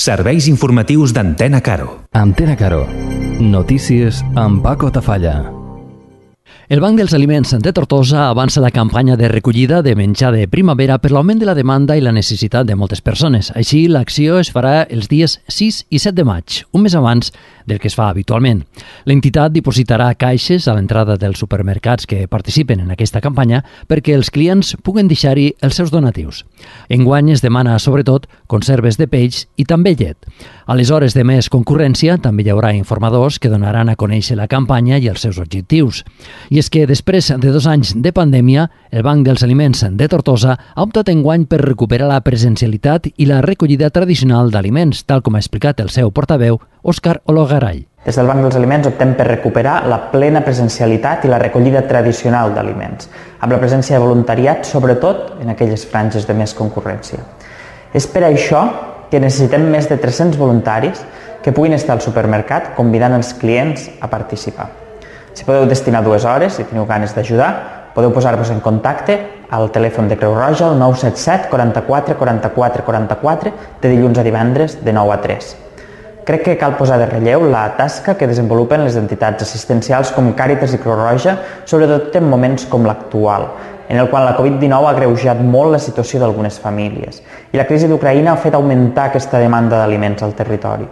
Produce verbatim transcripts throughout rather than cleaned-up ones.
Serveis informatius d'Antena Caro. Antena Caro. Notícies amb Paco Tafalla. El Banc dels Aliments de Tortosa avança la campanya de recollida de menjar de primavera per l'augment de la demanda i la necessitat de moltes persones. Així, l'acció es farà els dies sis i set de maig, un mes abans del que es fa habitualment. L'entitat dipositarà caixes a l'entrada dels supermercats que participen en aquesta campanya perquè els clients puguen deixar-hi els seus donatius. Enguany es demana, sobretot, conserves de peix i també llet. A les hores de més concurrència també hi haurà informadors que donaran a conèixer la campanya i els seus objectius. I és que després de dos anys de pandèmia, el Banc dels Aliments de Tortosa ha optat enguany per recuperar la presencialitat i la recollida tradicional d'aliments, tal com ha explicat el seu portaveu, Òscar Ologaray. Des del Banc dels Aliments optem per recuperar la plena presencialitat i la recollida tradicional d'aliments, amb la presència de voluntariat, sobretot en aquelles franges de més concurrència. És per això que necessitem més de tres-cents voluntaris que puguin estar al supermercat convidant els clients a participar. Si podeu destinar dues hores, si teniu ganes d'ajudar, podeu posar-vos en contacte al telèfon de Creu Roja, al nou set set quaranta-quatre quaranta-quatre quaranta-quatre, de dilluns a divendres de nou a tres. Crec que cal posar de relleu la tasca que desenvolupen les entitats assistencials com Càritas i Creu Roja, sobretot en moments com l'actual, en el qual la covid dinou ha agreujat molt la situació d'algunes famílies i la crisi d'Ucraïna ha fet augmentar aquesta demanda d'aliments al territori.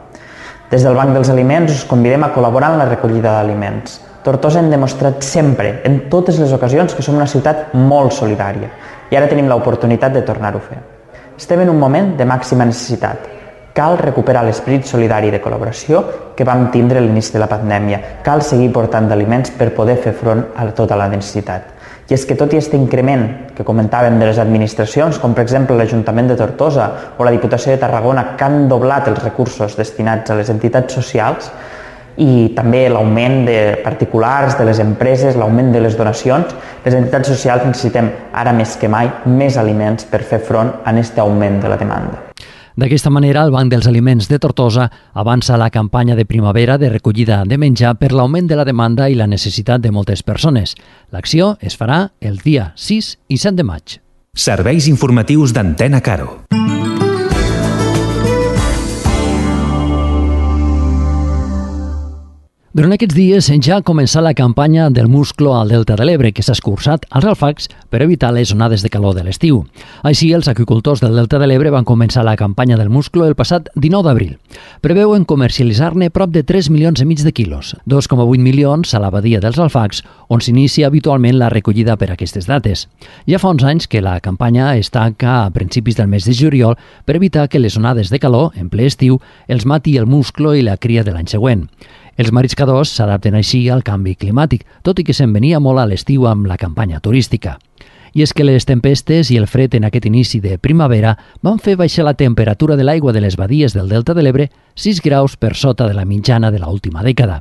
Des del Banc dels Aliments us convidem a col·laborar en la recollida d'aliments. Tortosa hem demostrat sempre, en totes les ocasions, que som una ciutat molt solidària i ara tenim l'oportunitat de tornar-ho a fer. Estem en un moment de màxima necessitat. Cal recuperar l'esperit solidari de col·laboració que vam tindre a l'inici de la pandèmia. Cal seguir portant d'aliments per poder fer front a tota la necessitat. I és que tot i aquest increment que comentàvem de les administracions, com per exemple l'Ajuntament de Tortosa o la Diputació de Tarragona, que han doblat els recursos destinats a les entitats socials, i també l'augment de particulars, de les empreses, l'augment de les donacions, les entitats socials necessitem ara més que mai més aliments per fer front a aquest augment de la demanda. D'aquesta manera, el Banc dels Aliments de Tortosa avança la campanya de primavera de recollida de menjar per l'augment de la demanda i la necessitat de moltes persones. L'acció es farà el dia sis i set de maig. Serveis informatius d'Antena Caro. Durant aquests dies ja ha començat la campanya del musclo al Delta de l'Ebre, que s'ha escurçat als alfacs per evitar les onades de calor de l'estiu. Així, els aquicultors del Delta de l'Ebre van començar la campanya del musclo el passat dinou d'abril. Preveuen comercialitzar-ne prop de tres milions i mig de quilos, dos coma vuit milions a la badia dels alfacs, on s'inicia habitualment la recollida per aquestes dates. Ja fa uns anys que la campanya es tanca a principis del mes de juliol per evitar que les onades de calor, en ple estiu, els mati el musclo i la cria de l'any següent. Els mariscadors s'adapten així al canvi climàtic, tot i que se'n venia molt a l'estiu amb la campanya turística. I és que les tempestes i el fred en aquest inici de primavera van fer baixar la temperatura de l'aigua de les badies del Delta de l'Ebre sis graus per sota de la mitjana de l'última dècada.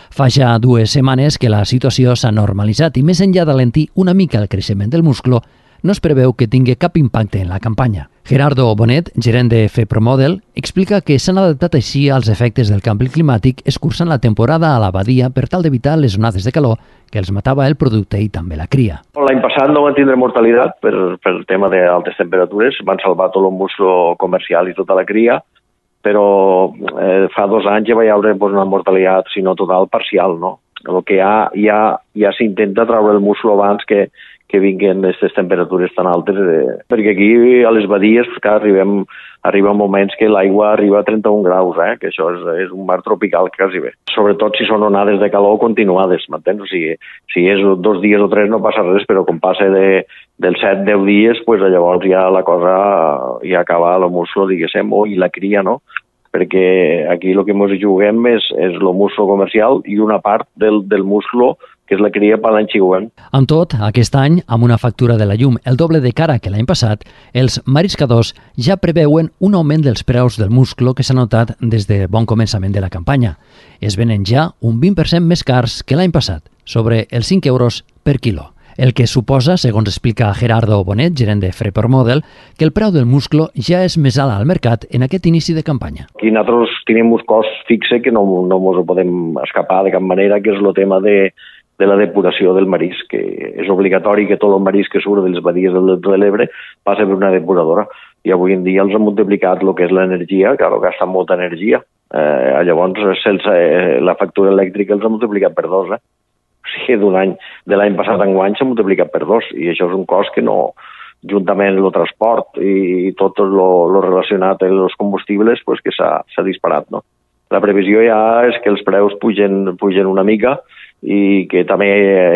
Fa ja dues setmanes que la situació s'ha normalitzat i més enllà d'alentir una mica el creixement del musclo, no es preveu que tingui cap impacte en la campanya. Gerardo Bonet, gerent de FEPROMODEL, explica que s'han adaptat així als efectes del canvi climàtic escurçant la temporada a la badia per tal d'evitar les onades de calor que els matava el producte i també la cria. L'any passat no van tindre mortalitat per, per el tema d'altes temperatures, van salvar tot el musclo comercial i tota la cria, però eh, fa dos anys ja va haver pues, una mortalitat, si no total, parcial, no? El que ja, ja, ja s'intenta treure el musclo abans que que vinguin aquestes temperatures tan altes, eh, perquè aquí a les badies que arribem, arriba moments que l'aigua arriba a trenta-un graus, eh, que això és, és un mar tropical quasi bé. Sobretot si són onades de calor continuades, m'entens? O sigui, si és dos dies o tres no passa res, però quan passa de, dels set a deu dies, pues, llavors ja la cosa ja acaba el musclo, diguéssim, o i la cria, no? Perquè aquí el que ens juguem és, és el musclo comercial i una part del, del musclo que és la cria per l'any següent. Amb tot, aquest any, amb una factura de la llum el doble de cara que l'any passat, els mariscadors ja preveuen un augment dels preus del musclo que s'ha notat des de bon començament de la campanya. Es venen ja un vint per cent més cars que l'any passat, sobre els cinc euros per quilo. El que suposa, segons explica Gerardo Bonet, gerent de FEPROMODEL, que el preu del musclo ja és més alt al mercat en aquest inici de campanya. Aquí nosaltres tenim un cost fixe que no, no ens podem escapar de cap manera, que és el tema de de la depuració del marisc, que és obligatori que tot el marisc que surt de les badies del Delta de l'Ebre passa per una depuradora. i avui en dia els ha multiplicat el que és l'energia, que ara gasta molta energia. Eh, llavors, sense, eh, la factura elèctrica els ha multiplicat per dos. Eh? O sigui, d'un any, de l'any passat en guany s'ha multiplicat per dos, i això és un cost que no, juntament amb el transport i tot el relacionat amb els combustibles, pues, que s'ha disparat. No? La previsió ja és que els preus pugen, pugen una mica, i que també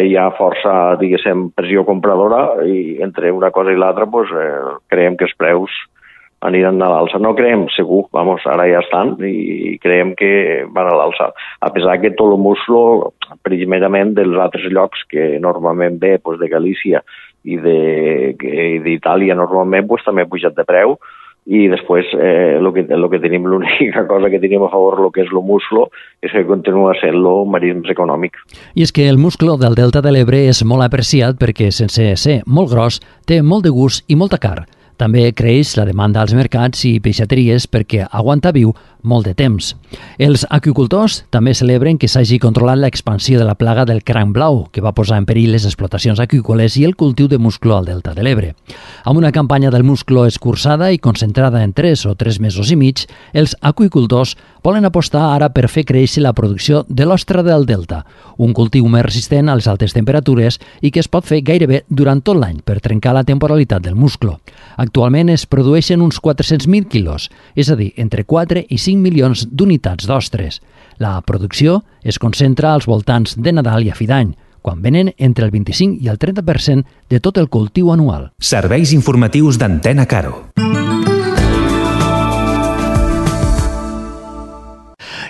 hi ha força, diguéssim, pressió compradora, i entre una cosa i l'altra pues, eh, creiem que els preus aniran a l'alça. No creiem, segur, vamos, ara ja estan, i creiem que van a l'alça. A pesar que tot el muslo, primerament dels altres llocs que normalment ve, pues, de Galícia i d'Itàlia normalment, pues, també ha pujat de preu, i després eh, lo que, lo que tenim, l'única cosa que tenim a favor, el que és el muslo, és que continua sent-lo un marisc econòmic. I és que el muslo del Delta de l'Ebre és molt apreciat perquè, sense ser molt gros, té molt de gust i molta carn. També creix la demanda als mercats i peixateries perquè aguanta viu molt de temps. Els aqüicultors també celebren que s'hagi controlat l'expansió de la plaga del cranc blau, que va posar en perill les explotacions aqüícoles i el cultiu de musclo al Delta de l'Ebre. Amb una campanya del musclo escurçada i concentrada en tres o tres mesos i mig, els aqüicultors volen apostar ara per fer créixer la producció de l'ostra del Delta, un cultiu més resistent a les altes temperatures i que es pot fer gairebé durant tot l'any per trencar la temporalitat del musclo. Actualment es produeixen uns quatre-cents mil quilos, és a dir, entre quatre i cinc milions d'unitats d'ostres. La producció es concentra als voltants de Nadal i a fi d'any, quan venen entre el vint-i-cinc i el trenta per cent de tot el cultiu anual. Serveis informatius d'Antena Caro.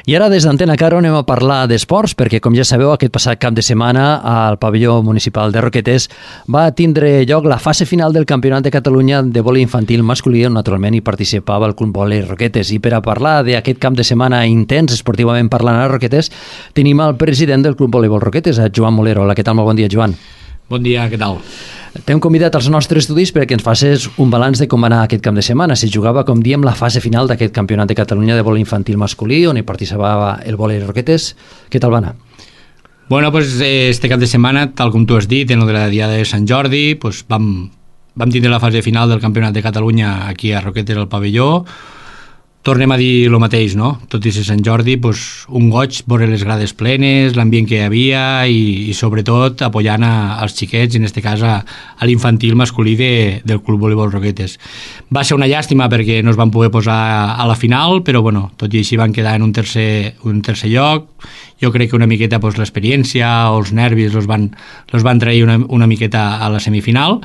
I ara des d'Antena Caro anem a parlar d'esports, perquè com ja sabeu, aquest passat cap de setmana al pavelló municipal de Roquetes va tindre lloc la fase final del Campionat de Catalunya de vòlei infantil masculí, on naturalment hi participava el Club Vòlei Roquetes. I per a parlar d'aquest cap de setmana intens, esportivament parlant a Roquetes, tenim el president del Club Voleibol Roquetes, a Joan Molero. Hola, què tal? Molt bon dia, Joan. Bon dia, què tal? T'hem convidat als nostres estudis perquè ens facis un balanç de com va anar aquest cap de setmana. Si jugava, com diem, la fase final d'aquest Campionat de Catalunya de vòlei infantil masculí, on hi participava el Vòlei Roquetes. Què tal va anar? Bueno, pues este cap de setmana, tal com tu has dit, en el de la Diada de Sant Jordi, pues vam, vam tindre la fase final del Campionat de Catalunya aquí a Roquetes, al pavelló. Tornem a dir el mateix, no? Tot i ser Sant Jordi, pues, un goig veure les grades plenes, l'ambient que hi havia i, i sobretot apoyant a, als xiquets, en aquest cas a, a l'infantil masculí de, del Club Voleibol Roquetes. Va ser una llàstima perquè no es van poder posar a, a la final, però bueno, tot i així van quedar en un tercer, un tercer lloc. Jo crec que una miqueta pues, l'experiència o els nervis els van, els van trair una, una miqueta a la semifinal,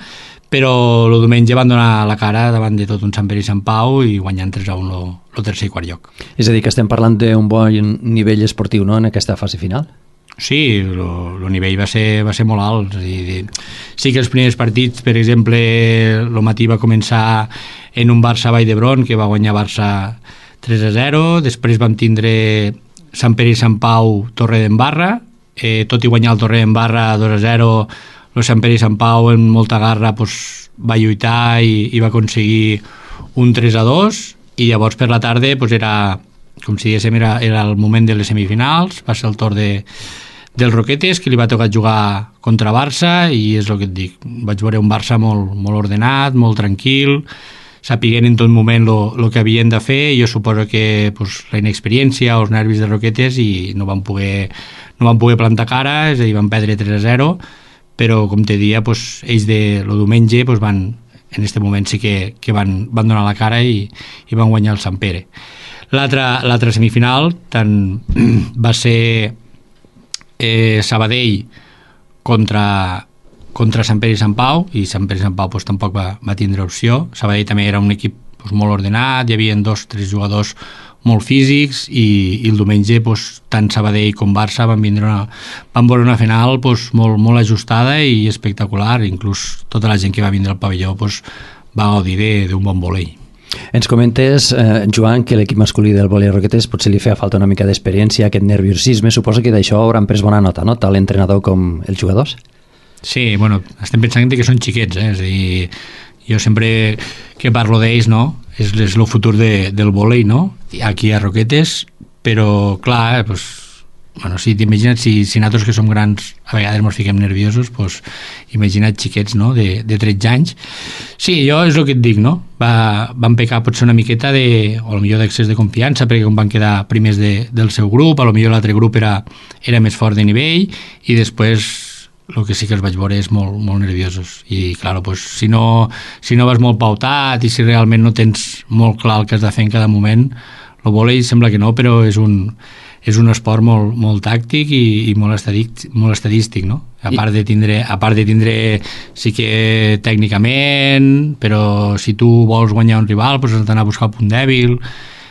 però el diumenge van donar la cara davant de tot un Sant Pere i Sant Pau i guanyant tres a un el tercer i quart lloc. És a dir, que estem parlant d'un bon nivell esportiu, no?, en aquesta fase final? Sí, el nivell va ser, va ser molt alt. És dir, sí que els primers partits, per exemple, el matí va començar en un Barça Vall d'Hebron, que va guanyar Barça tres a zero, després vam tindre Sant Pere i Sant Pau Torre d'Embarra, eh, tot i guanyar el Torre d'Embarra dos a zero, el Sant Pere i Sant Pau en molta garra pues, va lluitar i, i va aconseguir un tres a dos, i llavors per la tarda pues, era, com si diguéssim, era, era el moment de les semifinals, va ser el torn de, del Roquetes, que li va tocar jugar contra Barça, i és el que et dic, vaig veure un Barça molt, molt ordenat, molt tranquil, sapiguent en tot moment el que havien de fer, i jo suposo que pues, la inexperiència o els nervis de Roquetes i no van poder, no van poder plantar cara, és a dir, van perdre tres a zero, però com te dia, pues, ells de lo diumenge pues, van, en aquest moment sí que, que van, van donar la cara i, i van guanyar el Sant Pere. L'altra semifinal tant, va ser eh, Sabadell contra, contra Sant Pere i Sant Pau, i Sant Pere i Sant Pau pues, tampoc va, va tindre opció. Sabadell també era un equip pues, molt ordenat, hi havia dos o tres jugadors molt físics, i, i el diumenge pues, tant Sabadell com Barça van vindre una, van veure una final pues, molt, molt ajustada i espectacular. Inclús tota la gent que va vindre al pavelló pues, va gaudir d'un bon vòlei. Ens comentes, eh, Joan, que l'equip masculí del vòlei Roquetes potser li feia falta una mica d'experiència, aquest nerviosisme. Suposo que d'això hauran pres bona nota, no?, tant l'entrenador com els jugadors? Sí, bueno, estem pensant que són xiquets, eh? És a dir, jo sempre que parlo d'ells, no?, és, és el futur de, del vòlei, no?, aquí a Roquetes, però clar, pues, bueno, si t'imagina't, si, si nosaltres que som grans a vegades ens fiquem nerviosos, doncs imagina't xiquets, no?, de, de tretze anys. Sí, jo és el que et dic, no? Va, van pecar potser una miqueta de, o potser d'excés de confiança, perquè com van quedar primers de, del seu grup, a lo millor l'altre grup era, era més fort de nivell, i després el que sí que els vaig veure és molt, molt nerviosos. I, clar, pues, si, no, si no vas molt pautat i si realment no tens molt clar el que has de fer en cada moment, el vòlei sembla que no, però és un... és un esport molt, molt tàctic i, i molt, estadístic, molt estadístic, no? A part de tindre, a part de tindre sí que tècnicament, però si tu vols guanyar un rival, doncs has d'anar a buscar el punt dèbil.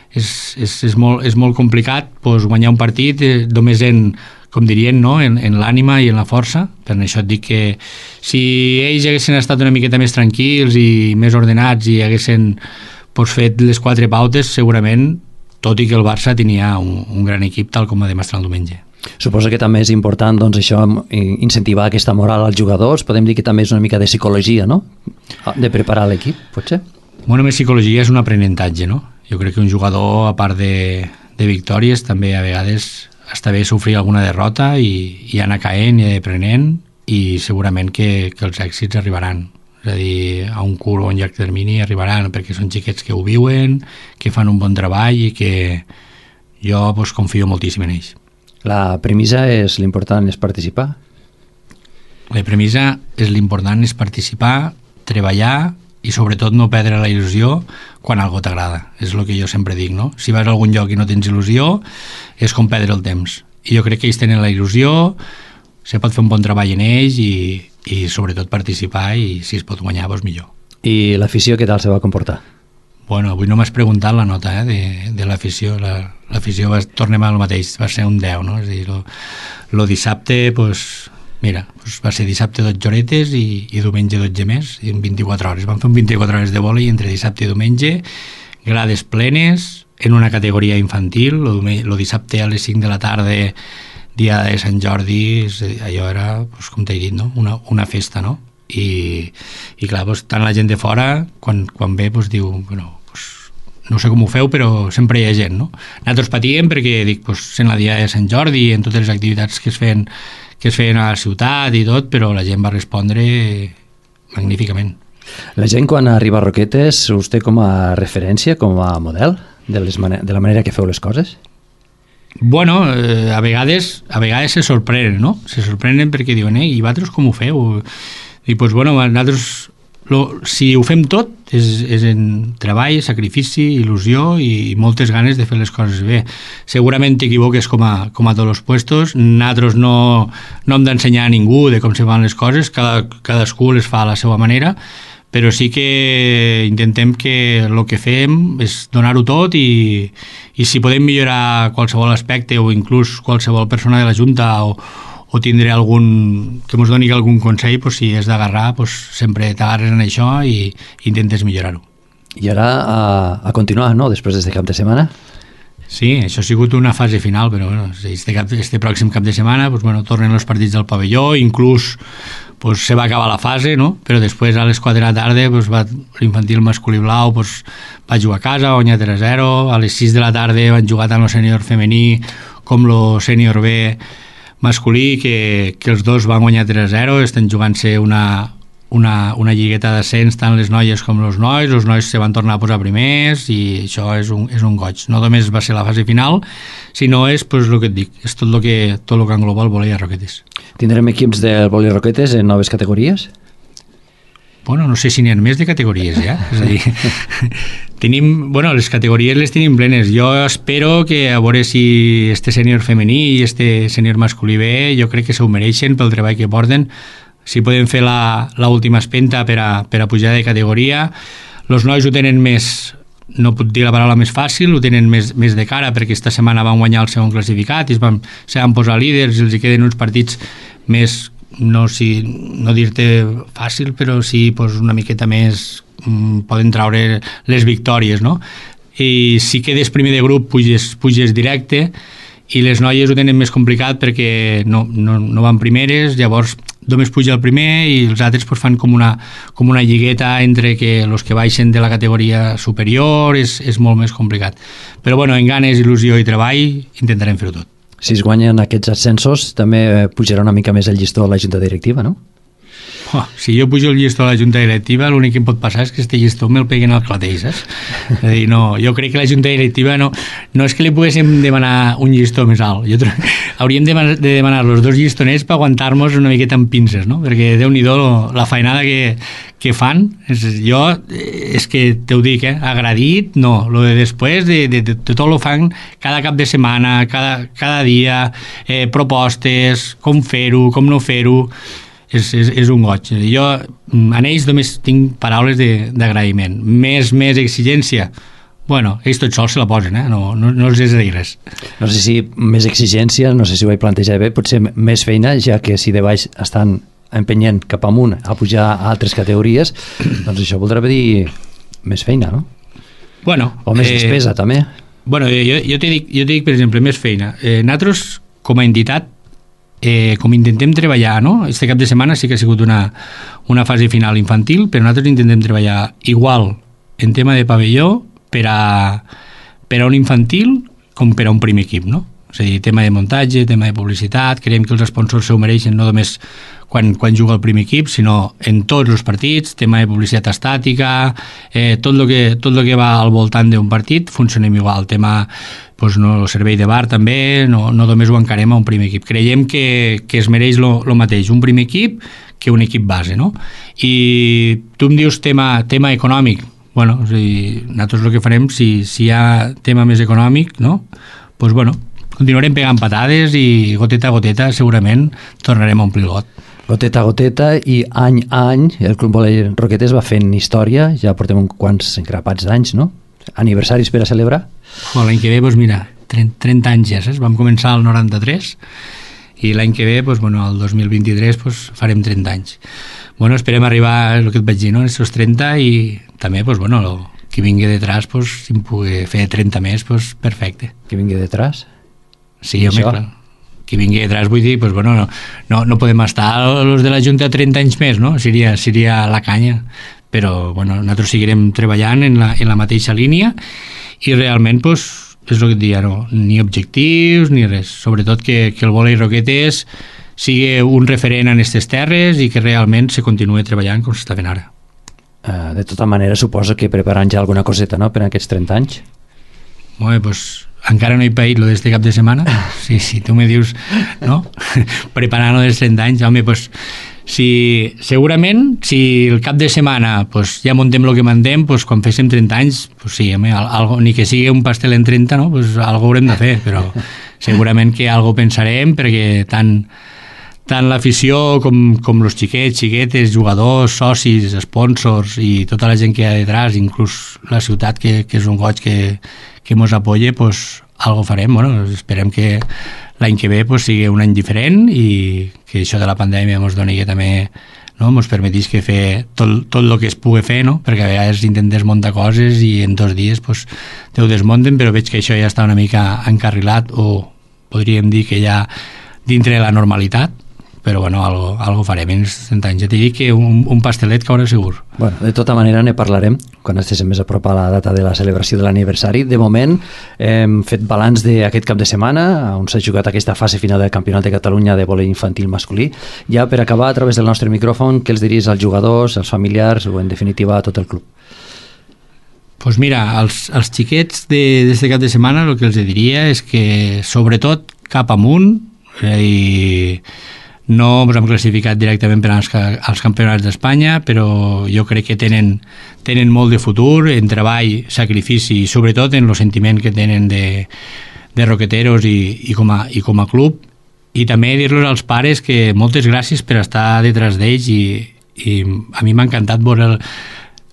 És, és, és, molt, és molt complicat doncs, guanyar un partit eh, només en, com dirien, no? en, en l'ànima i en la força. Per això et dic que si ells haguessin estat una miqueta més tranquils i més ordenats i haguessin doncs, fet les quatre pautes, segurament, tot i que el Barça tenia un, un gran equip, tal com va demostrar el diumenge. Suposo que també és important doncs, això, incentivar aquesta moral als jugadors. Podem dir que també és una mica de psicologia, no?, de preparar l'equip, potser? Bueno, més psicologia és un aprenentatge, no? Jo crec que un jugador, a part de, de victòries, també a vegades està bé sofrir alguna derrota i, i anar caent i anar aprenent, i segurament que, que els èxits arribaran. És a dir, a un curt o un llarg termini arribaran, perquè són xiquets que ho viuen, que fan un bon treball i que jo pues, confio moltíssim en ells. La premissa és l'important és participar? La premissa és l'important és participar, treballar i sobretot no perdre la il·lusió quan algo t'agrada. És el que jo sempre dic, no? Si vas a algun lloc i no tens il·lusió, és com perdre el temps. I jo crec que ells tenen la il·lusió, se pot fer un bon treball en ells i, i sobretot participar, i si es pot guanyar, doncs millor. I l'afició què tal se va comportar? Bueno, avui no m'has preguntat la nota eh, de, de l'afició. La, l'afició, va, tornem al mateix, va ser un deu, no? És a dir, lo, lo dissabte, pues, mira, pues va ser dissabte dotze horetes i, i diumenge dotze més, i en vint-i-quatre hores. Vam fer un vint-i-quatre hores de vòlei entre dissabte i diumenge, grades plenes, en una categoria infantil, lo, lo dissabte a les cinc de la tarda, dia de Sant Jordi, allò era, pues, com t'he dit, no? una, una festa, no? I, i clar, pues, tant la gent de fora, quan, quan ve, pues, diu, bueno, pues, no sé com ho feu, però sempre hi ha gent, no? Nosaltres patíem perquè, dic, pues, sent la dia de Sant Jordi, en totes les activitats que es feien, que es feien a la ciutat i tot, però la gent va respondre magníficament. La gent, quan arriba a Roquetes, us té com a referència, com a model de, les man- de la manera que feu les coses? Bueno, eh, a vegades a vegades se sorprenen, no? Se sorprenen perquè diuen, eh, i vosaltres com ho feu? I doncs, bueno, nosaltres, lo, si ho fem tot, és, és en treball, sacrifici, il·lusió i moltes ganes de fer les coses bé. Segurament t'equivoques com a, com a tots els puestos, nosaltres no, no hem d'ensenyar a ningú de com se fan les coses, cada, cadascú les fa a la seva manera, però sí que intentem que el que fem és donar-ho tot i, i si podem millorar qualsevol aspecte o inclús qualsevol persona de la Junta o, o tindré algun, que ens doni algun consell, pues, si és d'agarrar, pues, sempre t'agarres en això i intentes millorar-ho. I ara a, a continuar, no?, després d'aquest cap de setmana? Sí, això ha sigut una fase final, però bueno, este, cap, este pròxim cap de setmana pues, bueno, tornen els partits del pavelló, inclús pues, se va acabar la fase, no? Però després a les quatre de la tarda pues, va, l'infantil masculí blau pues, va jugar a casa, va guanyar tres a zero, a les sis de la tarda van jugar tant el sènior femení com el sènior B masculí, que, que els dos van guanyar tres a zero, estan jugant-se una, una, una lligueta d'ascens, tant les noies com els nois, els nois se van tornar a posar primers i això és un, és un goig. No només va ser la fase final, sinó és pues, el que et dic, és tot el que, tot el que engloba el vòlei a Roquetes. Tindrem equips del vòlei Roquetes en noves categories? Bueno, no sé si n'hi ha més de categories, ja. És a dir, tenim, bueno, les categories les tenim plenes. Jo espero que a veure si este sènior femení i este sènior masculí B, jo crec que s'ho mereixen pel treball que porten. Si podem fer l'última espenta per a, per a pujar de categoria. Els nois ho tenen més, no puc dir la paraula més fàcil, ho tenen més, més de cara, perquè esta setmana van guanyar el segon classificat i es van, se van posar líders i els hi queden uns partits més, no, si, no dir-te fàcil, però sí pues, una miqueta més, mm, poden traure les victòries, no? I si quedes primer de grup puges, puges directe, i les noies ho tenen més complicat perquè no, no, no van primeres, llavors només puja el primer i els altres pues, fan com una, com una lligueta entre que els que baixen de la categoria superior, és, és molt més complicat. Però bueno, en ganes, il·lusió i treball intentarem fer-ho tot. Si es guanyen aquests ascensos, també pujarà una mica més el llistó a la junta directiva, no? Oh, si jo pujo el llistó a la junta directiva, l'únic que em pot passar és que este llistó me'l peguen al clatell, saps? És a dir, no, jo crec que la junta directiva no, no és que li poguéssim demanar un llistó més alt. Jo tro... Hauríem de, de demanar els dos llistoners per aguantar-nos una miqueta amb pinces, no? Perquè Déu-n'hi-do la feinada que, que fan. És, jo, és que te ho dic, eh? Agradit, no. Lo de després, de, de, de, de tot lo fan cada cap de setmana, cada, cada dia, eh, propostes, com fer-ho, com no fer-ho. És, és, és un goig. Jo en ells només tinc paraules d'agraïment. Més, més exigència, bueno, ells tots sols se la posen, eh? no, no, no els has de dir res. No sé si més exigència, no sé si ho vaig plantejar bé, potser més feina, ja que si de baix estan empenyent cap amunt a pujar a altres categories, doncs això voldrà dir més feina, no? Bueno, o més eh, despesa, també. Bueno, jo, jo t'he dit, jo t'he dit, per exemple, més feina. Eh, nosaltres, com a entitat, Eh, com intentem treballar, no? Este cap de setmana sí que ha sigut una, una fase final infantil, però nosaltres intentem treballar igual en tema de pavelló per a, per a un infantil com per a un primer equip, no? És a dir, tema de muntatge, tema de publicitat, creiem que els sponsors se ho mereixen no només quan, quan juga el primer equip, sinó en tots els partits, tema de publicitat estàtica, eh, tot el que, tot lo que va al voltant d'un partit, funcionem igual, tema pues no, el servei de bar també, no, no només ho encarem a un primer equip. Creiem que, que es mereix el mateix un primer equip que un equip base, no? I tu em dius tema, tema econòmic. Bueno, és a dir, nosaltres el que farem, si, si hi ha tema més econòmic, no? Pues bueno, continuarem pegant patades i goteta a goteta segurament tornarem a omplir el got. Goteta a goteta i any a any el Club Volei Roquetes va fent història, ja portem uns quants engrapats d'anys, no? Aniversaris per a celebrar? Oh, l'any que ve, doncs mira, trenta anys ja, saps? Vam començar el noranta-tres i l'any que ve, doncs, bueno, el dos mil vint-i-tres doncs, farem trenta anys. Bueno, esperem arribar, el que et vaig dir, no? Estos trenta i també, doncs, bueno, lo, qui vingui detrás, doncs, si em pugui fer trenta més, doncs, perfecte. Qui vingui detrás? Sí, home, clar. Qui vingui detrás, vull dir, doncs, bueno, no, no, no podem estar els de la Junta trenta anys més, no? Seria, seria la canya. Però, bueno, nosaltres seguirem treballant en la, en la mateixa línia i realment, doncs, és el que et deia, no? Ni objectius ni res, sobretot que, que el Volei Roquetes sigui un referent en aquestes terres i que realment se continuï treballant com s'està fent ara. Uh, de tota manera, suposo que preparant ja alguna coseta, no?, per aquests trenta anys. Bé, doncs, encara no he paït lo d'este cap de setmana. Sí, sí, tu me dius, no? Preparant-lo dels trenta anys, home, doncs, si, segurament, si el cap de setmana pues, ja muntem el que mandem, pues, quan féssim trenta anys, pues, sí, home, algo, ni que sigui un pastel en trenta, no? Pues, algo haurem de fer, però segurament que algo pensarem, perquè tant, tant l'afició com, com els xiquets, xiquetes, jugadors, socis, sponsors i tota la gent que hi ha detrás, inclús la ciutat, que, que és un goig que, que mos apoya, pues, algo farem. Bueno, esperem que l'any que ve pues, sigui un any diferent i que això de la pandèmia ens doni que també, no, ens permetís que fer tot, tot el que es pugui fer, no? Perquè a vegades intentes muntar coses i en dos dies pues, te ho desmunten, però veig que això ja està una mica encarrilat o podríem dir que ja dintre de la normalitat, però bueno, algo, algo farem en els trenta anys. Ja t'he dit que un, un pastelet caurà segur. Bueno, de tota manera ne parlarem quan estiguem més a prop a la data de la celebració de l'aniversari. De moment hem fet balanç d'aquest cap de setmana on s'ha jugat aquesta fase final del Campionat de Catalunya de vòlei infantil masculí. Ja per acabar, a través del nostre micròfon, què els diries als jugadors, als familiars o en definitiva a tot el club? Pues mira, als, als xiquets d'aquest cap de setmana el que els diria és que sobretot cap amunt eh, i no ens hem classificat directament per als, als campionats d'Espanya, però jo crec que tenen, tenen molt de futur en treball, sacrifici i sobretot en el sentiment que tenen de, de roqueteros i, i, com a, i com a club. I també dir-los als pares que moltes gràcies per estar detrás d'ells i, i a mi m'ha encantat veure el,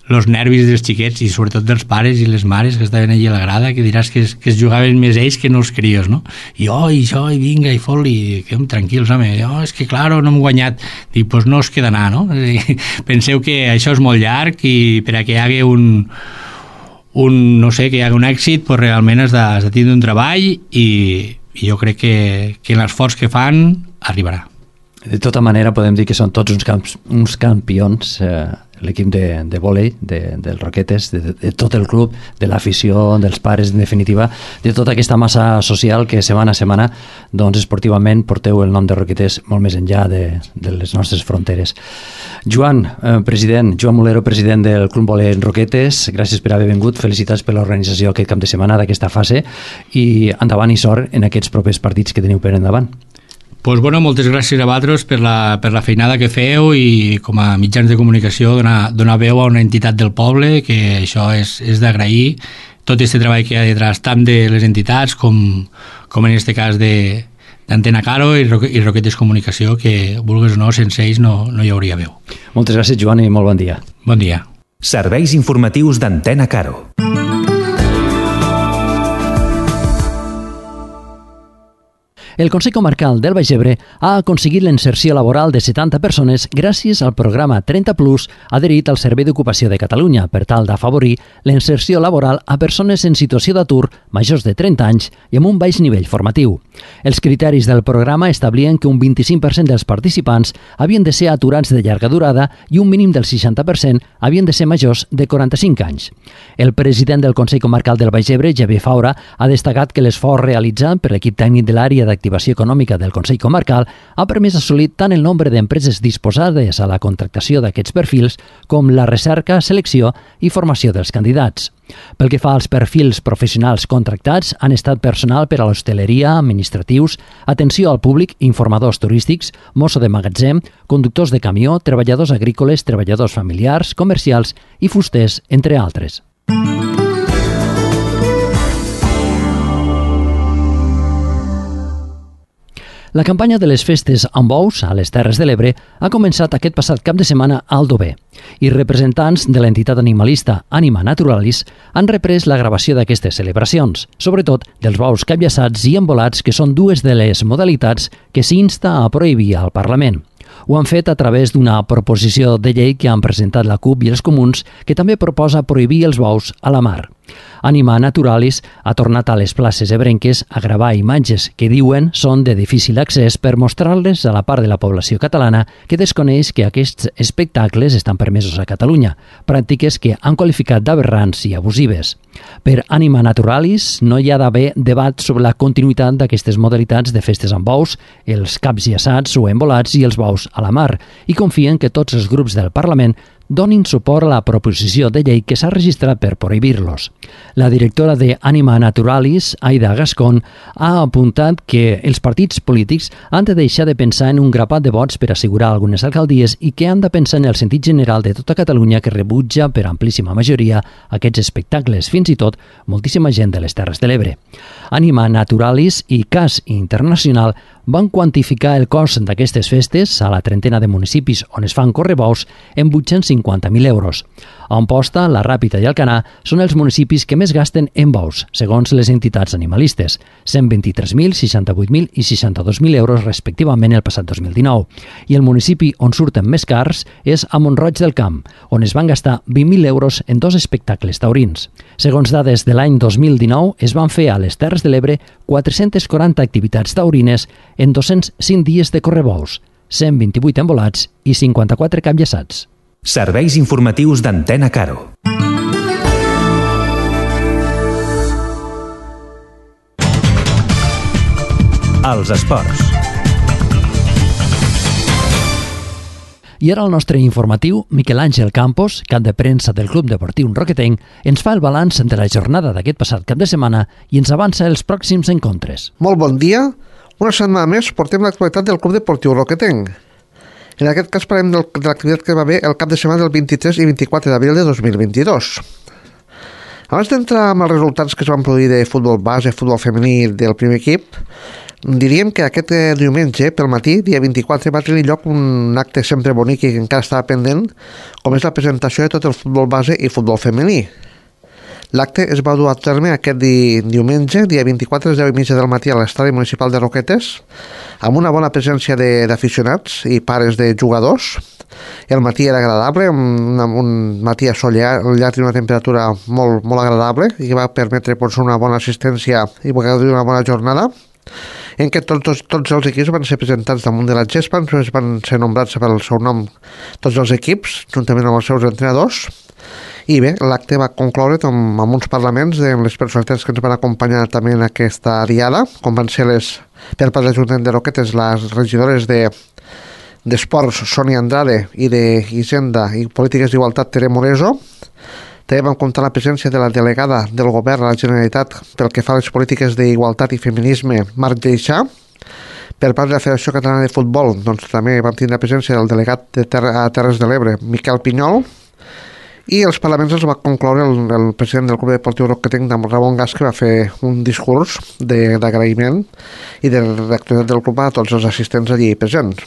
els nervis dels xiquets i sobretot dels pares i les mares que estaven allà a la grada, que diràs que es, que es jugaven més ells que no els crios, no? I oh, i això, i vinga, i fot-li, quedem tranquils, home, oh, és que claro, no hem guanyat. Dic, doncs pues no us queda anar, no? Penseu que això és molt llarg i per a que hi hagi un, un no sé, que hi hagi un èxit, pues realment has de, has de tindre un treball i, i jo crec que, que l'esforç que fan arribarà. De tota manera podem dir que són tots uns, camps, uns campions, eh, l'equip de, de vòlei, de, dels Roquetes, de, de tot el club, de l'afició, dels pares, en definitiva, de tota aquesta massa social que setmana a setmana, doncs esportivament porteu el nom de Roquetes molt més enllà de, de les nostres fronteres. Joan, eh, president, Joan Mulero, president del Club Vòlei Roquetes, gràcies per haver vingut, felicitats per l'organització aquest cap de setmana d'aquesta fase i endavant i sort en aquests propers partits que teniu per endavant. Pues bueno, moltes gràcies a vosaltres per la, per la feinada que feu i com a mitjans de comunicació donar, donar veu a una entitat del poble, que això és, és d'agrair, tot aquest treball que hi ha detrás tant de les entitats com, com en aquest cas de d'Antena Caro i, Roque, i Roquetes Comunicació, que vulgues o no, sense ells no, no hi hauria veu. Moltes gràcies, Joan, i molt bon dia. Bon dia. Serveis informatius d'Antena Caro. El Consell Comarcal del Baix Ebre ha aconseguit la inserció laboral de setanta persones gràcies al programa trenta plus adherit al Servei d'Ocupació de Catalunya per tal d'afavorir la inserció laboral a persones en situació d'atur majors de trenta anys i amb un baix nivell formatiu. Els criteris del programa establien que un vint-i-cinc per cent dels participants havien de ser aturats de llarga durada i un mínim del seixanta per cent havien de ser majors de quaranta-cinc anys. El president del Consell Comarcal del Baix Ebre, Javier Faura, ha destacat que l'esforç realitzat per l'equip tècnic de l'àrea d'activitat Activació Econòmica del Consell Comarcal ha permès assolir tant el nombre d'empreses disposades a la contractació d'aquests perfils com la recerca, selecció i formació dels candidats. Pel que fa als perfils professionals contractats, han estat personal per a l'hostaleria, administratius, atenció al públic, informadors turístics, mosso de magatzem, conductors de camió, treballadors agrícoles, treballadors familiars, comercials i fusters, entre altres. La campanya de les festes amb bous a les Terres de l'Ebre ha començat aquest passat cap de setmana a Aldover i representants de l'entitat animalista Anima Naturalis han reprès la gravació d'aquestes celebracions, sobretot dels bous capllaçats i embolats, que són dues de les modalitats que s'insta a prohibir al Parlament. Ho han fet a través d'una proposició de llei que han presentat la CUP i els Comuns, que també proposa prohibir els bous a la mar. Anima Naturalis ha tornat a les places ebrenques a gravar imatges que diuen són de difícil accés per mostrar-les a la part de la població catalana que desconeix que aquests espectacles estan permesos a Catalunya, pràctiques que han qualificat d'aberrants i abusives. Per Anima Naturalis no hi ha d'haver debat sobre la continuïtat d'aquestes modalitats de festes amb bous, els caps llaçats o embolats i els bous a la mar, i confien que tots els grups del Parlament donin suport a la proposició de llei que s'ha registrat per prohibir-los. La directora de Anima Naturalis, Aida Gascon, ha apuntat que els partits polítics han de deixar de pensar en un grapat de vots per assegurar algunes alcaldies i que han de pensar en el sentit general de tota Catalunya, que rebutja per amplíssima majoria aquests espectacles, fins i tot moltíssima gent de les Terres de l'Ebre. Anima Naturalis i C A S Internacional van quantificar el cost d'aquestes festes a la trentena de municipis on es fan correbous en vuit-cents cinquanta mil euros. A Amposta, la Ràpita i Alcanar són els municipis que més gasten en bous, segons les entitats animalistes, cent vint-i-tres mil, seixanta-vuit mil i seixanta-dos mil euros respectivament el passat dos mil dinou. I el municipi on surten més cars és a Mont-roig del Camp, on es van gastar vint mil euros en dos espectacles taurins. Segons dades de l'any dos mil dinou, es van fer a les Terres de l'Ebre quatre-centes quaranta activitats taurines en dos-cents cinc dies de correbous, cent vint-i-vuit embolats i cinquanta-quatre capllaçats. Serveis informatius d'Antena Caro. Els esports. I ara el nostre informatiu, Miquel Àngel Campos, cap de premsa del Club Deportiu Roquetenc, ens fa el balanç de la jornada d'aquest passat cap de setmana i ens avança els pròxims encontres. Molt bon dia. Una setmana més portem l'actualitat del Club Deportiu Roquetenc. En aquest cas parlem del, de l'activitat que va haver el cap de setmana del vint-i-tres i vint-i-quatre d'abril de dos mil vint-i-dos. Abans d'entrar amb els resultats que es van produir de futbol base, futbol femení del primer equip, diríem que aquest diumenge, pel matí, dia vint-i-quatre, va tenir lloc un acte sempre bonic i que encara estava pendent, com és la presentació de tot el futbol base i futbol femení. L'acte es va dur a terme aquest di diumenge, dia vint-i-quatre, a les deu i mitja del matí a l'estadi municipal de Roquetes, amb una bona presència d'aficionats i pares de jugadors. El matí era agradable, un, un matí assolellat i una temperatura molt, molt agradable, i que va permetre doncs, una bona assistència i una bona jornada. en què tots, tots, tots els equips van ser presentats damunt de la gespa, ens van ser nombrats pel seu nom tots els equips, juntament amb els seus entrenadors, i bé, l'acte va concloure amb, amb uns parlaments de les personalitats que ens van acompanyar també en aquesta diada, com van ser les, per part de l'Ajuntament de Roquetes, les regidores de d'Esports, Sònia Andrade, i d'Hisenda i Polítiques d'Igualtat, Tere Moreso. També vam comptar la presència de la delegada del Govern a la Generalitat pel que fa a les polítiques d'igualtat i feminisme, Marc Deixà. Per part de la Federació Catalana de Futbol, doncs també vam tenir la presència del delegat de Ter a Terres de l'Ebre, Miquel Pinyol, i els parlaments els va concloure el, el president del Club Deportiu Roquetenc, Ramon Gas, que va fer un discurs d'agraïment i de reactivitat del club a tots els assistents allí presents.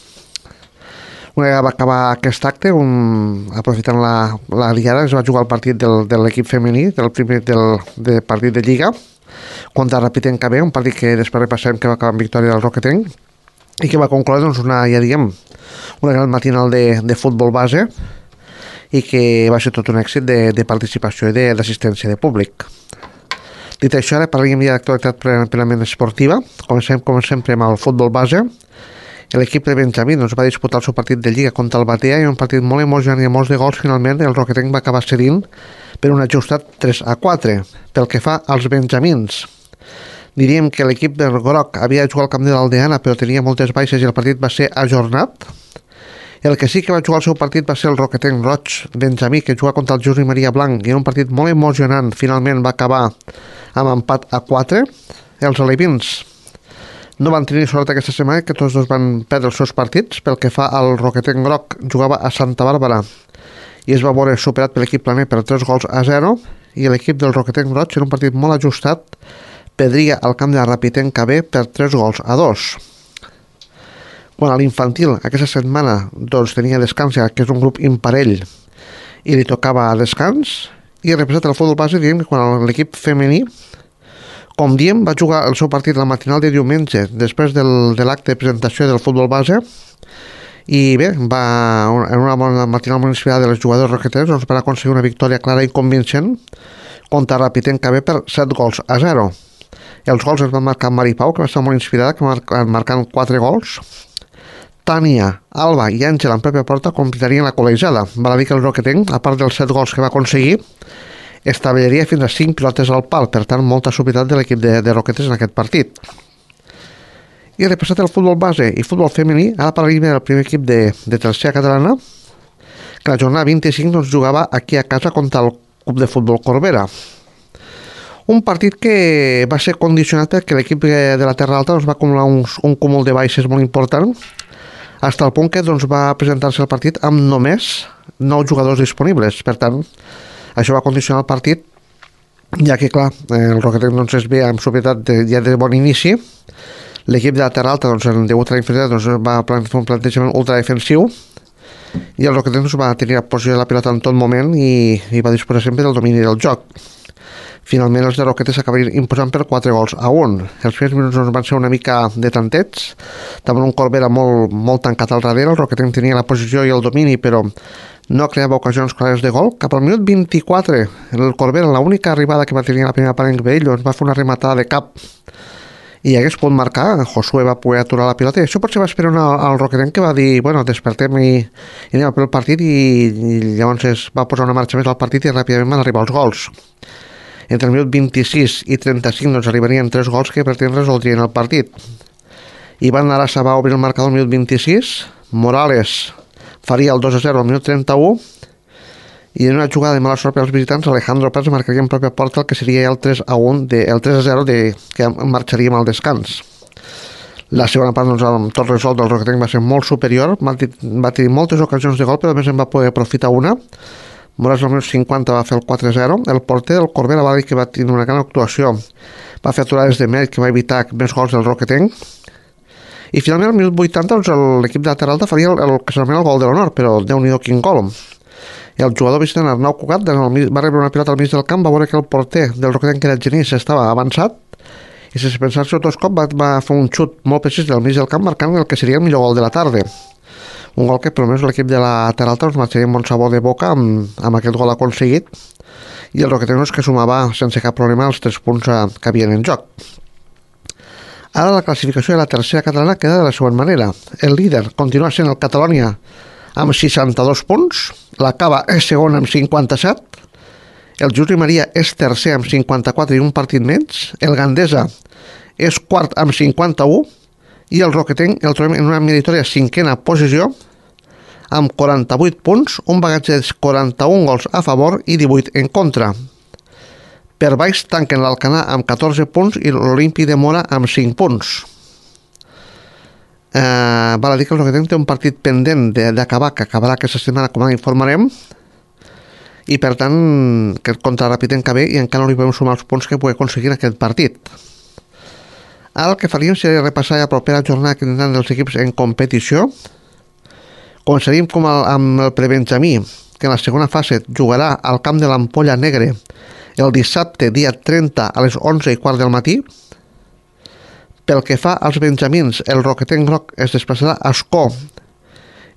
Una vegada va acabar aquest acte, un, aprofitant la, la diada, es va jugar el partit del, de l'equip femení, del primer del, del partit de Lliga, contra Rapitenc B, un partit que després repassem que va acabar amb victòria del Roquetenc, i que va concloure doncs, una, ja diguem, una gran matinal de, de futbol base, i que va ser tot un èxit de, de participació i d'assistència de, de públic. Dit això, ara parlem ja d'actualitat plenament esportiva. Comencem, com sempre, amb el futbol base. L'equip de Benjamí doncs, va disputar el seu partit de Lliga contra el Batea i un partit molt emocionant i amb molts de gols. Finalment el Roquetenc va acabar cedint per un ajustat tres a quatre. Pel que fa als benjamins, diríem que l'equip del groc havia de jugar al camp de l'Aldeana, però tenia moltes baixes i el partit va ser ajornat. El que sí que va jugar el seu partit va ser el Roquetenc Roig Benjamí, que juga contra el Josep Maria Blanc, i en un partit molt emocionant finalment va acabar amb empat a quatre. Els alevins no van tenir sort aquesta setmana, que tots dos van perdre els seus partits. Pel que fa al Roquetenc Groc, jugava a Santa Bàrbara i es va veure superat per l'equip planer per tres gols a zero, i l'equip del Roquetenc Roig, en un partit molt ajustat, perdria al camp de la Rapitenc B per tres gols a dos. Quan a l'infantil aquesta setmana doncs, tenia descans, que és un grup imparell, i li tocava descans, i representat el futbol base, diem que quan l'equip femení, com diem, va jugar el seu partit la matinal de diumenge després del, de l'acte de presentació del futbol base, i bé, va, en una bona matinal molt inspirada de les jugadors roqueters, doncs van aconseguir una victòria clara i convincent contra Rapitenc B per set gols a zero. Els gols es van marcar Mari Pau, que va estar molt inspirada, que va marcant quatre gols. Tània, Alba i Àngela en pròpia porta completarien la col·legiada. Val a dir que el Roquetenc, a part dels set gols que va aconseguir, establiria fins a cinc pilotes al pal, per tant molta suavitat de l'equip de, de Roquetes en aquest partit. I repassat el futbol base i futbol femení, ara parlarem del primer equip de, de tercera catalana, que la jornada vint-i-cinc doncs, jugava aquí a casa contra el Club de Futbol Corbera. Un partit que va ser condicionat perquè l'equip de la Terra Alta doncs, va acumular un, un cúmul de baixes molt important, fins al punt que doncs, va presentar-se el partit amb només nou jugadors disponibles. Per tant, això va condicionar el partit, ja que, clar, el Roquetenc doncs, es ve amb propietat de, ja de bon inici. L'equip de la Terra Alta, doncs, degut a la inferioritat, doncs, va fer un plantejament ultradefensiu, i el Roquetenc doncs, va tenir la posició de la pilota en tot moment i, i va disposar sempre del domini del joc. Finalment els de Roquetes s'acabarien imposant per quatre gols a un. Els primers minuts doncs, van ser una mica de tantets, també un Corbera molt, molt tancat al darrere. El Roquetenc tenia la posició i el domini, però no creava ocasions clares de gol. Cap al minut vint-i-quatre, el Corbera, l'única arribada que va tenir la primera part en Vell, doncs va fer una rematada de cap i hagués pogut marcar. Josué va poder aturar la pilota, i això potser va esperar una, al Roquetenc, que va dir, bueno, despertem i, i anem a pel partit, i, i llavors es va posar una marxa més al partit i ràpidament van arribar els gols. Entre el minut vint-i-sis i trenta-cinc doncs, arribarien tres gols que per temps resoldrien el partit. Ivan Arasa va obrir el marcador al minut vint-i-sis, Morales faria el dos a zero al minut trenta-u, i en una jugada de mala sort per als visitants, Alejandro Prats marcaria en pròpia porta el que seria el tres a un, de, el tres a zero de, que marxaríem al descans. La segona part, doncs, amb tot resolt del Roquetenc va ser molt superior, va tenir moltes ocasions de gol, però a més en va poder aprofitar una. Morales al minut cinquanta va fer el quatre a zero. El porter del Corbera va dir que va tenir una gran actuació, va fer aturades de mèrit que va evitar més gols del Roquetenc, i finalment al minut vuitanta doncs, l'equip de la Terra Alta faria el, el que s'anomena el gol de l'honor, però Déu-n'hi-do quin gol. El jugador visitant Arnau Cugat va rebre una pilota al mig del camp, va veure que el porter del Roquetenc, que era Genís, estava avançat, i sense pensar-se dos cops va, va fer un xut molt precís del mig del camp, marcant el que seria el millor gol de la tarda. Un gol que, per almenys, l'equip de la Terra Alta ens marxaria amb bon sabor de boca amb, amb aquest gol aconseguit, i el Roquetenc que sumava sense cap problema els tres punts que havien en joc. Ara la classificació de la tercera catalana queda de la següent manera. El líder continua sent el Catalònia amb seixanta-dos punts, la Cava és segona amb cinquanta-set, el Juli Maria és tercer amb cinquanta-quatre i un partit menys, el Gandesa és quart amb cinquanta-u i el Roquetenc el trobem en una meritòria cinquena posició amb quaranta-vuit punts, un bagatge de quaranta-un gols a favor i divuit en contra. Per baix tanquen l'Alcanar amb catorze punts i l'Olímpic de Mora amb cinc punts. Eh, val a dir que el Roquetenc té un partit pendent d'acabar, que acabarà aquesta setmana, com ara informarem, i per tant que contra Rapitenc que ve i encara no li podem sumar els punts que pugui aconseguir en aquest partit. Ara el que faríem seria repassar la propera jornada que tindran els equips en competició. Començaríem com el, amb el prebenjamí, que en la segona fase jugarà al camp de l'Ampolla Negre el dissabte dia trenta a les onze i quart del matí. Pel que fa als benjamins, el Roquetenc Groc es desplaçarà a Ascó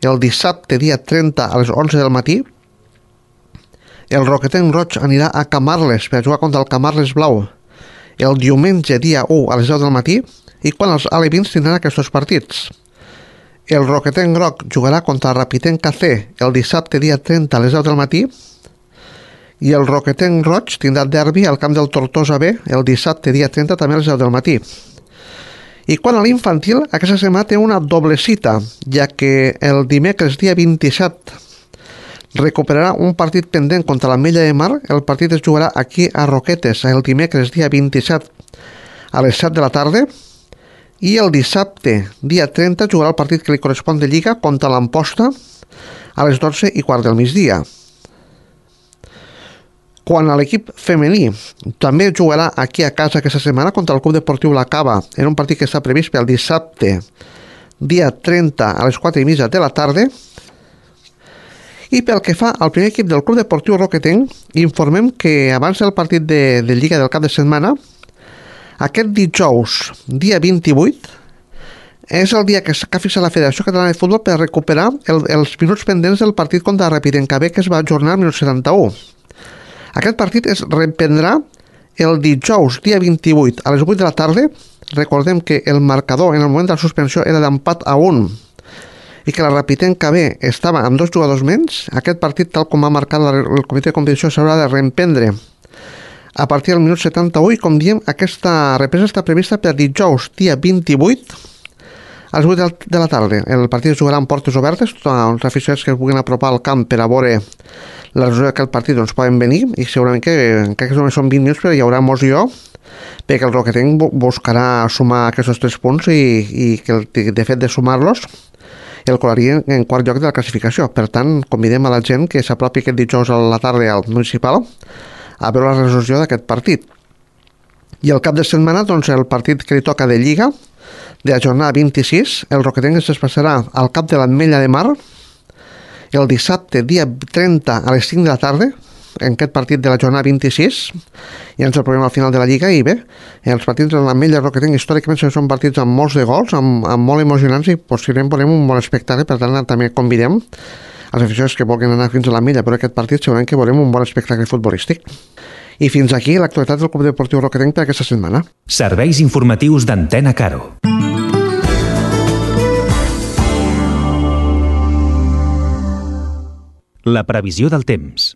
el dissabte dia trenta a les onze del matí. El Roquetenc Roig anirà a Camarles per jugar contra el Camarles Blau el diumenge dia u a les deu del matí, i quan els alevins tindran aquests partits. El Roquetenc Groc jugarà contra el Rapitenc K C el dissabte dia trenta a les deu del matí, i el Roquetenc Roig tindrà derbi al camp del Tortosa B el dissabte dia trenta també a les deu del matí. I quan a l'infantil, aquesta setmana té una doble cita, ja que el dimecres dia vint-i-set recuperarà un partit pendent contra l'Ametlla de Mar. El partit es jugarà aquí a Roquetes el dimecres dia vint-i-set a les set de la tarda, i el dissabte dia trenta jugarà el partit que li correspon de Lliga contra l'Amposta a les dotze i quart del migdia. Quan a l'equip femení, també jugarà aquí a casa aquesta setmana contra el Club Deportiu La Cava en un partit que està previst pel dissabte dia trenta a les quatre i mitja de la tarda. I pel que fa al primer equip del Club Deportiu Roquetenc, informem que abans del partit de, de Lliga del cap de setmana, aquest dijous, dia vint-i-vuit, és el dia que ha fixat la Federació Catalana de Futbol per recuperar el, els minuts pendents del partit contra Rapitenc K B, que es va ajornar al minut setanta-u. Aquest partit es reprendrà el dijous, dia vint-i-vuit, a les vuit de la tarda. Recordem que el marcador en el moment de la suspensió era d'empat a un i que la Rapitenc K B estava amb dos jugadors menys. Aquest partit, tal com ha marcat el comitè de competició, s'haurà de reemprendre a partir del minut setanta-u i, com diem, aquesta represa està prevista per dijous, dia vint-i-vuit, a les vuit de la tarda. El partit es jugarà amb portes obertes. Tots els aficionats que es puguin apropar al camp per a veure la resolució d'aquest partit doncs poden venir, i segurament que encara que només són vint minuts, però hi haurà emoció, perquè el Roquetenc buscarà sumar aquests tres punts i, i que el, de fet de sumar-los el colaria en quart lloc de la classificació. Per tant, convidem a la gent que s'apropi aquest dijous a la tarda al municipal a veure la resolució d'aquest partit. I el cap de setmana, doncs, el partit que li toca de Lliga de la jornada vint-i-sis, el Roquetenc es desplaçarà al cap de l'Ametlla de Mar el dissabte dia trenta a les cinc de la tarda, en aquest partit de la jornada vint-i-sis. Ja ens el programa al final de la Lliga, i bé, els partits de l'Ametlla i Roquetenc històricament són partits amb molts de gols, amb, amb molt emocionants, i possiblement volem un bon espectacle. Per tant, també convidem els aficionats que vulguin anar fins a l'Ametlla per aquest partit, segurament que volem un bon espectacle futbolístic. I fins aquí l'actualitat del Club Deportiu Roquetenc per aquesta setmana. Serveis informatius d'Antena Caro. La previsió del temps.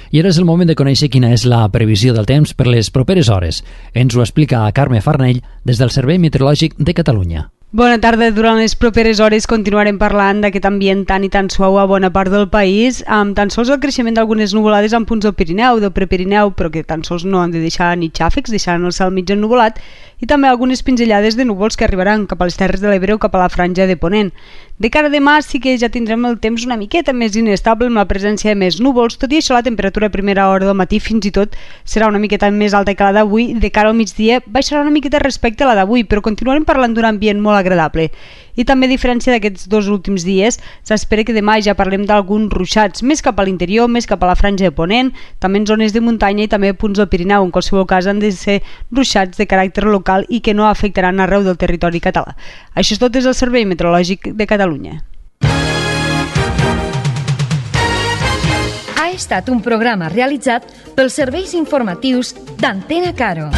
I ara és el moment de conèixer quina és la previsió del temps per les properes hores. Ens ho explica Carme Farnell des del Servei Meteorològic de Catalunya. Bona tarda. Durant les properes hores continuarem parlant d'aquest ambient tan i tan suau a bona part del país, amb tan sols el creixement d'algunes nuvolades en punts del Pirineu, del Prepirineu, però que tan sols no han de deixar ni xàfecs, deixant el cel mig ennuvolat, i també algunes pinzellades de núvols que arribaran cap a les Terres de l'Ebre o cap a la franja de Ponent. De cara a demà sí que ja tindrem el temps una miqueta més inestable, amb la presència de més núvols. Tot i això, la temperatura a primera hora del matí fins i tot serà una miqueta més alta que la d'avui. De cara al migdia baixarà una miqueta respecte a la d'avui, però continuarem parlant d'un ambient molt agradable. I també, a diferència d'aquests dos últims dies, s'espera que demà ja parlem d'alguns ruixats, més cap a l'interior, més cap a la franja de Ponent, també en zones de muntanya i també punts del Pirineu. En qualsevol cas, han de ser ruixats de caràcter local i que no afectaran arreu del territori català. Això és tot des del Servei Meteorològic de Catalunya. Ha estat un programa realitzat pels serveis informatius d'Antena Caro.